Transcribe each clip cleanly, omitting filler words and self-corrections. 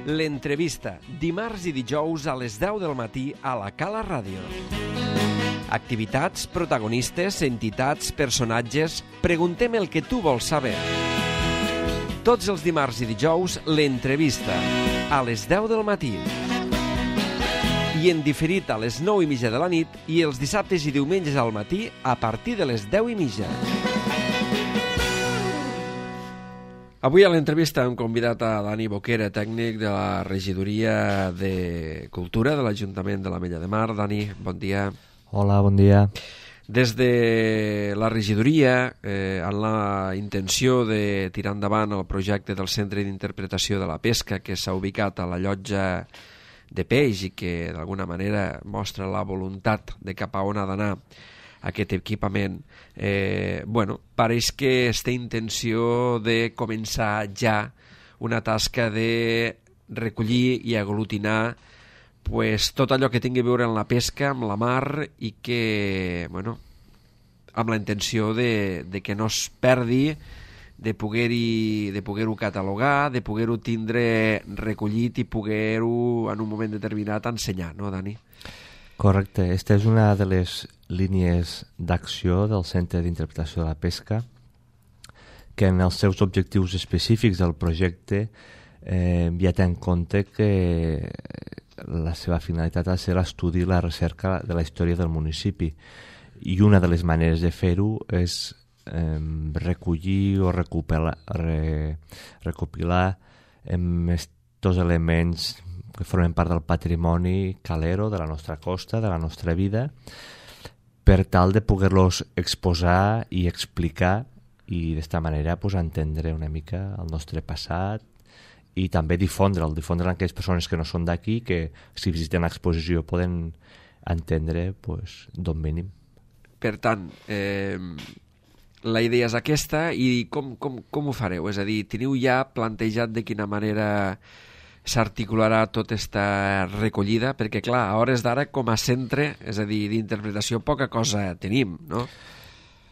L'entrevista, dimarts i dijous a les 10 del matí a la Cala Ràdio. Activitats, protagonistes, entitats, personatges... Preguntem el que tu vols saber. Tots els dimarts i dijous, l'entrevista, a les 10 del matí. I en diferit a les 9:30 de la nit i els dissabtes i diumenges al matí a partir de les 10:30. Avui a l'entrevista hem convidat a Dani Boquera, tècnic de la Regidoria de Cultura de l'Ajuntament de l'Ametlla de Mar. Dani, bon dia. Hola, bon dia. Des de la regidoria, amb la intenció de tirar endavant el projecte del Centre d'Interpretació de la Pesca que s'ha ubicat a la llotja de peix i que d'alguna manera mostra la voluntat de cap a on ha d'anar aquest equipament, pareix que es té intenció de començar ja una tasca de recollir i aglutinar tot allò que tingui a veure amb la pesca, amb la mar, i que, amb la intenció de que no es perdi, de poder-ho catalogar, de poder-ho tindre recollit i poder-ho en un moment determinat ensenyar, no, Dani? Correcte. Aquesta és una de les línies d'acció del Centre d'Interpretació de la Pesca, que en els seus objectius específics del projecte ja té en compte que la seva finalitat ha de ser l'estudi i la recerca de la història del municipi. I una de les maneres de fer-ho és recollir o recopilar estos elements que formen part del patrimoni calero de la nostra costa, de la nostra vida, per tal de poder-los exposar i explicar i d'esta manera entendre una mica el nostre passat i també difondre'l a aquelles persones que no són d'aquí, que si visiten l'exposició poden entendre d'on venim. Per tant, la idea és aquesta, i com ho fareu? És a dir, teniu ja plantejat de quina manera s'articularà tota aquesta recollida? Perquè, clar, a hores d'ara, com a centre, és a dir, d'interpretació, poca cosa tenim, no?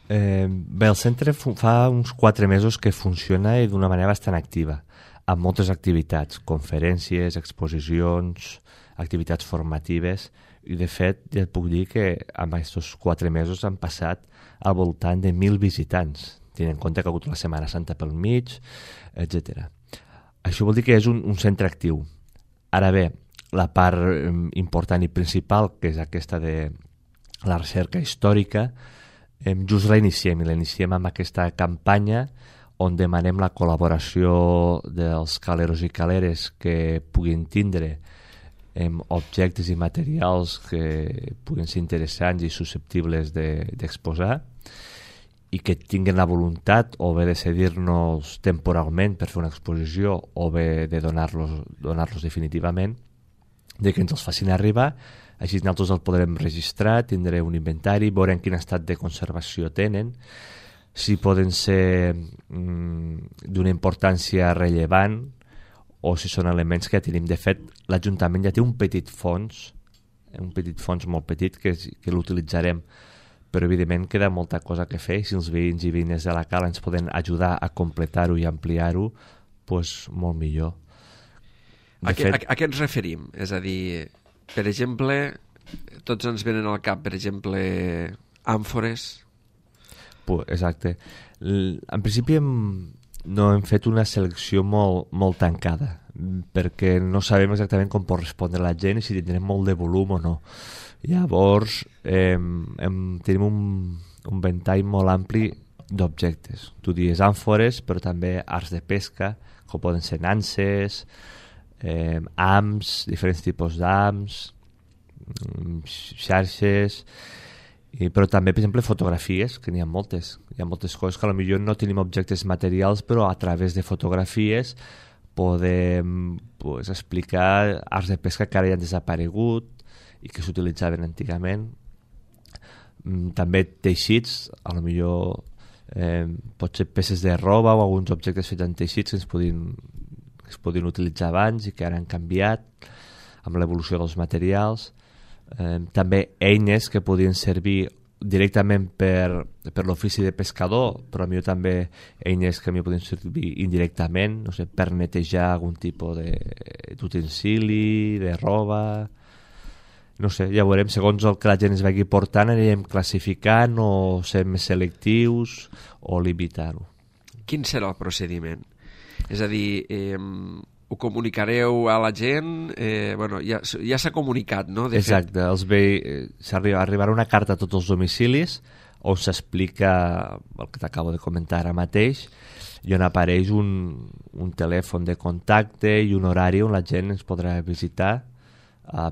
Bé, el centre fa uns 4 mesos que funciona i d'una manera bastant activa, amb moltes activitats, conferències, exposicions, activitats formatives, i de fet ja et puc dir que en aquests 4 mesos han passat al voltant de 1.000 visitants, tenint en compte que ha hagut la Setmana Santa pel mig, etc. Això vol dir que és un centre actiu. Ara bé, la part important i principal, que és aquesta de la recerca històrica, just la iniciem amb aquesta campanya on demanem la col·laboració dels caleros i caleres que puguin tindre objectes i materials que puguin ser interessants i susceptibles d'exposar i que tinguin la voluntat o bé de cedir-nos temporalment per fer una exposició o bé de donar-los definitivament, de que ens els facin arribar. Així nosaltres el podrem registrar, tindré un inventari, veurem quin estat de conservació tenen, si poden ser d'una importància rellevant o si són elements que ja tenim. De fet, l'Ajuntament ja té un petit fons molt petit que l'utilitzarem, però evidentment queda molta cosa que fer. Si els veïns i veïnes de la Cala ens poden ajudar a completar-ho i ampliar-ho, molt millor. A què ens referim? És a dir, per exemple, tots ens venen al cap, per exemple, àmfores. Exacte. En principi no hem fet una selecció molt tancada, perquè no sabem exactament com pot respondre la gent i si tindrem molt de volum o no. Llavors, tenim un ventall molt ampli d'objectes. Tu dius àmfores, però també arts de pesca, com poden ser nanses, hams, diferents tipus d'hams, xarxes, però també, per exemple, fotografies, que n'hi ha moltes. Hi ha moltes coses que potser no tenim objectes materials, però a través de fotografies podem explicar arts de pesca que ara ja han desaparegut i que s'utilitzaven antigament. També teixits, potser pot ser peces de roba o alguns objectes fets en teixits que es podien utilitzar abans i que ara han canviat amb l'evolució dels materials. També eines que podien servir directament per l'ofici de pescador, però millor també eines que m'hi poden servir indirectament, no sé, per netejar algun tipus d'utensili, de roba... No sé, ja veurem, segons el que la gent es vagi portant, anirem classificant o ser més selectius o limitar-ho. Quin serà el procediment? És a dir, ho comunicareu a la gent? Bueno, ja s'ha comunicat, no? Exacte, arribarà una carta a tots els domicilis on s'explica el que t'acabo de comentar ara mateix i on apareix un telèfon de contacte i un horari on la gent ens podrà visitar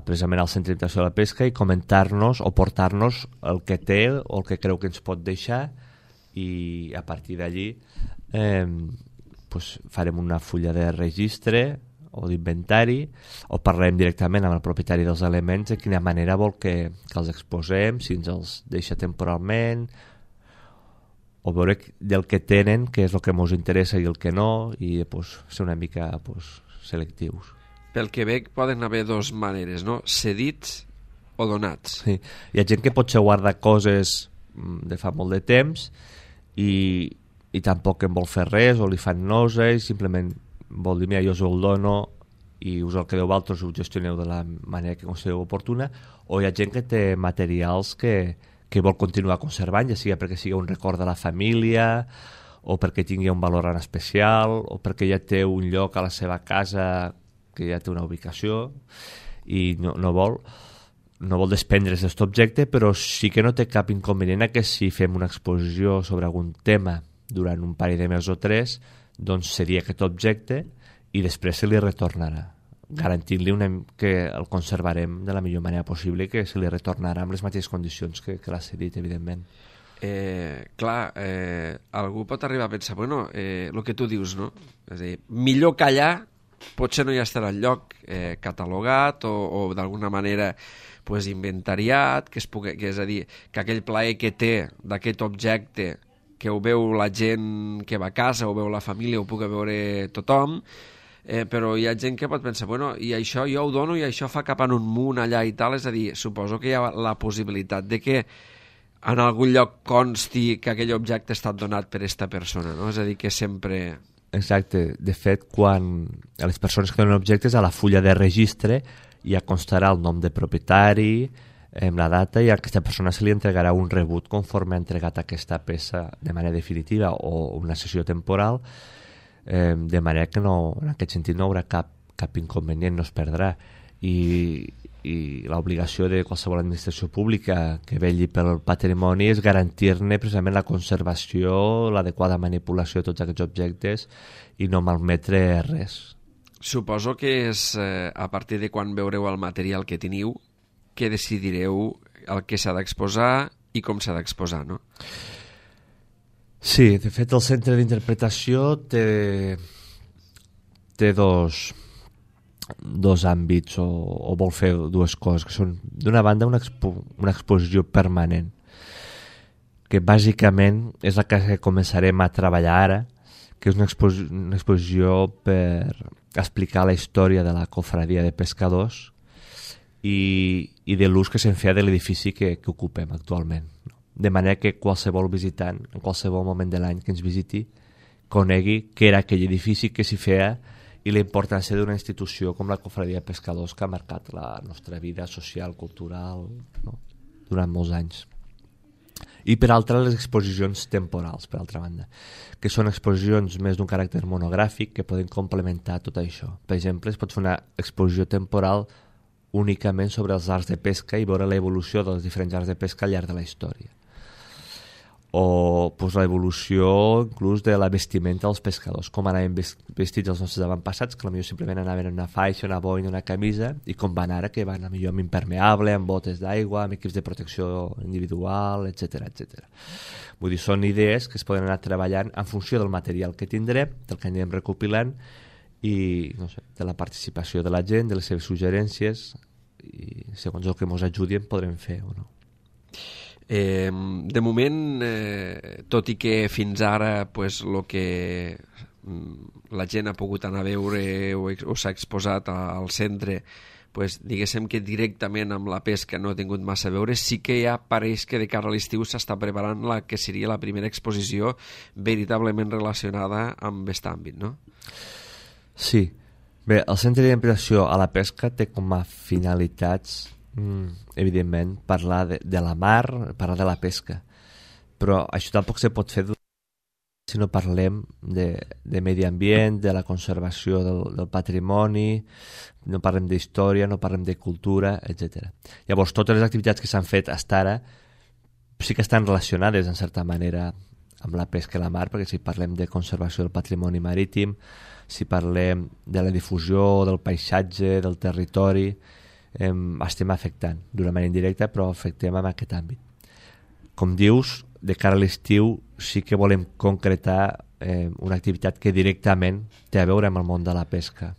precisament al centre d'imitació de la pesca i comentar-nos o portar-nos el que té o el que creu que ens pot deixar i a partir d'allí farem una fulla de registre o d'inventari o parlarem directament amb el propietari dels elements de quina manera vol que els exposem, si ens els deixa temporalment o veure del que tenen, què és el que ens interessa i el que no i ser una mica selectius. Pel que veig poden haver dues maneres, no? Cedits o donats. Sí. Hi ha gent que potser guarda coses de fa molt de temps i tampoc en vol fer res o li fan nosa i simplement vol dir, mira, jo us el dono i us el quedeu vosaltres i ho gestioneu de la manera que considereu oportuna, o hi ha gent que té materials que vol continuar conservant, ja sigui perquè sigui un record de la família o perquè tingui un valor en especial o perquè ja té un lloc a la seva casa que ja té una ubicació i no vol desprendre's d'aquest objecte, però sí que no té cap inconvenient que si fem una exposició sobre algun tema durant un parell de mesos o 3, doncs seria aquest objecte i després se li retornarà, garantint-li que el conservarem de la millor manera possible i que se li retornarà amb les mateixes condicions que l'ha cedit, evidentment. Algú pot arribar a pensar, bueno, el que tu dius, no? És a dir, millor callar, potser no hi estarà el lloc catalogat o d'alguna manera inventariat, que és a dir, que aquell plaer que té d'aquest objecte que ho veu la gent que va a casa, ho veu la família, ho pugui veure tothom, però hi ha gent que pot pensar, bueno, i això jo ho dono i això fa cap en un munt allà i tal, és a dir, suposo que hi ha la possibilitat de que en algun lloc consti que aquell objecte ha estat donat per aquesta persona, no? És a dir, que sempre... Exacte, de fet, quan a les persones que donen objectes a la fulla de registre ja constarà el nom de propietari, la data, i a aquesta persona se li entregarà un rebut conforme ha entregat aquesta peça de manera definitiva o una sessió temporal, de manera que no, en aquest sentit no hi haurà cap inconvenient, no es perdrà. I l'obligació de qualsevol administració pública que vetlli pel patrimoni és garantir-ne precisament la conservació, l'adequada manipulació de tots aquests objectes i no malmetre res. Suposo que és a partir de quan veureu el material que teniu que decidireu el que s'ha d'exposar i com s'ha d'exposar, no? Sí, de fet el centre d'interpretació té dos àmbits o vol fer dues coses, que són d'una banda una exposició permanent, que bàsicament és la que començarem a treballar ara, que és una exposició per explicar la història de la cofradia de pescadors i de l'ús que se'n feia de l'edifici que ocupem actualment, de manera que qualsevol visitant en qualsevol moment de l'any que ens visiti conegui què era aquell edifici que s'hi feia i la importància d'una institució com la cofradia de pescadors que ha marcat la nostra vida social, cultural, no? Durant molts anys. I per altra, les exposicions temporals, per altra banda, que són exposicions més d'un caràcter monogràfic que poden complementar tot això. Per exemple, es pot fer una exposició temporal únicament sobre els arts de pesca i veure l'evolució dels diferents arts de pesca al llarg de la història. O l'evolució inclús de la vestimenta dels pescadors, com anaven vestits els nostres avantpassats, que potser simplement anaven en una faixa, una boina, una camisa, i com van ara, que van millor amb impermeable, amb botes d'aigua, amb equips de protecció individual, etc etc. Vull dir, són idees que es poden anar treballant en funció del material que tindrem, del que anirem recopilant, i no sé, de la participació de la gent, de les seves suggerències, i segons el que ens ajudi en podrem fer o no. De moment, tot i que fins ara el que la gent ha pogut anar a veure o s'ha exposat al centre pues, diguéssim que directament amb la pesca no ha tingut massa a veure, sí que ja pareix que de cara a l'estiu s'està preparant la que seria la primera exposició veritablement relacionada amb aquest àmbit, no? Sí. Bé, el Centre d'Interpretació a la Pesca té com a finalitats, evidentment, parlar de la mar, parlar de la pesca. Però això tampoc se pot fer si no parlem de medi ambient, de la conservació del patrimoni, no parlem d'història, no parlem de cultura, etc. Llavors, totes les activitats que s'han fet fins ara sí que estan relacionades, en certa manera, amb la pesca i la mar, perquè si parlem de conservació del patrimoni marítim, si parlem de la difusió del paisatge, del territori, estem afectant d'una manera indirecta, però afectem en aquest àmbit. Com dius, de cara a l'estiu sí que volem concretar una activitat que directament té a veure amb el món de la pesca,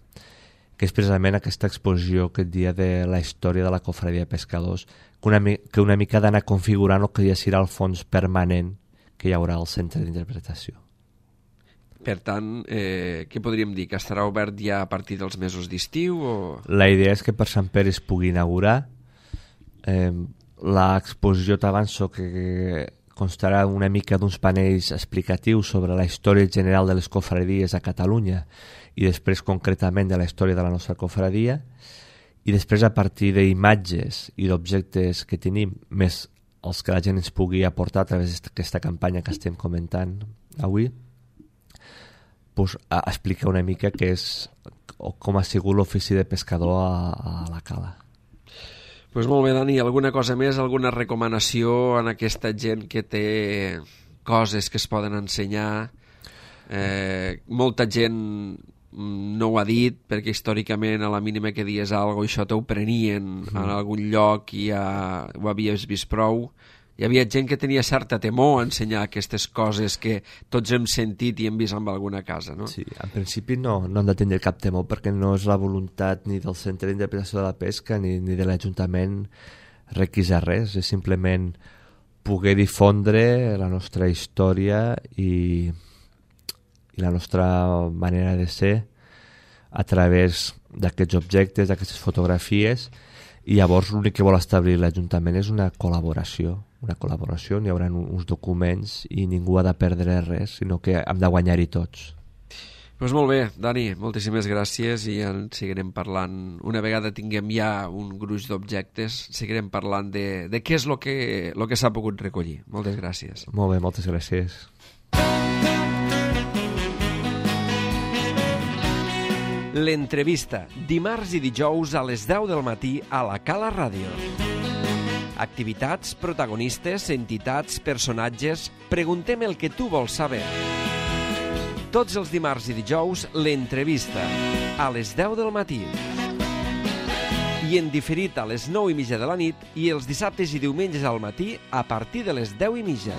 que és precisament aquesta exposició aquest dia de la història de la cofradia de pescadors, que una mica ha d'anar configurant el que ja serà el fons permanent que hi haurà al Centre d'Interpretació. Per tant, què podríem dir? Que estarà obert ja a partir dels mesos d'estiu? O... La idea és que per Sant Pere es pugui inaugurar. L'exposició t'avanço que constarà una mica d'uns panells explicatius sobre la història general de les cofradies a Catalunya i després concretament de la història de la nostra cofradia, i després a partir d'imatges i d'objectes que tenim, més els que la gent ens pugui aportar a través d'aquesta campanya que estem comentant avui, pues, explicar una mica què és o com ha sigut l'ofici de pescador a la cala. Pues molt bé, Dani, alguna cosa més, alguna recomanació en aquesta gent que té coses que es poden ensenyar? Molta gent no ho ha dit, perquè històricament a la mínima que dies alguna cosa, això t'ho prenien en algun lloc i ja ho havies vist prou. Hi havia gent que tenia certa temor a ensenyar aquestes coses que tots hem sentit i hem vist en alguna casa, no? Sí, en principi no han de tenir cap temor, perquè no és la voluntat ni del Centre d'Interpretació de la Pesca ni de l'Ajuntament requisar res, és simplement poder difondre la nostra història i la nostra manera de ser a través d'aquests objectes, d'aquestes fotografies, i llavors l'únic que vol establir l'Ajuntament és una col·laboració, n'hi haurà uns documents i ningú ha de perdre res, sinó que hem de guanyar-hi tots. Doncs molt bé, Dani, moltíssimes gràcies i en seguirem parlant. Una vegada tinguem ja un gruix d'objectes, seguirem parlant de què és el que s'ha pogut recollir. Moltes gràcies. Molt bé, moltes gràcies. L'entrevista, dimarts i dijous a les 10 del matí a la Cala Ràdio. Activitats, protagonistes, entitats, personatges... Preguntem el que tu vols saber. Tots els dimarts i dijous, l'entrevista, a les 10 del matí. I en diferit a les 9:30 de la nit i els dissabtes i diumenges al matí a partir de les 10:30.